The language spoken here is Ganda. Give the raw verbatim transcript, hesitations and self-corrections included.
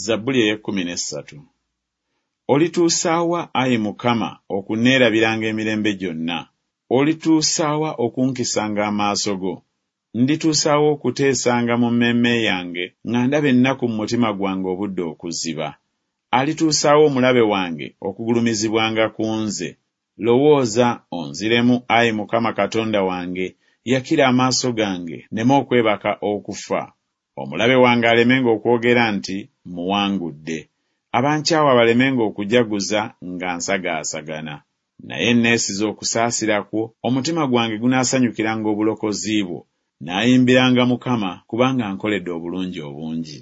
Zabbuli ey'ekkumi n'essatu. Olituusa wa, ayi Mukama, okunneerabiranga emirembe gyonna? Olituusa wa okunkisanga amaaso go? Ndituusa wa okuteesanga mu mmeeme yange nga ndaba ennaku mu mutima gwange obudde okuziba? Alituusa wa omulabe wange okugulumizibwanga ku nze? Lowooza, onziremu, ayi Mukama Katonda wange, yakira amaaso gange, nneme okwebaka okufa. Omulabe wange alemenga okwogera nti Mmuwangudde. Abankyawa balemenga okujaguza nga nsagaasagana. Naye neesize okusaasira kwo, omutima gwange gunaasanyukiranga obulokozi bwo. Naayimbiranga Mukama, kubanga ankoledde obulungi obungi.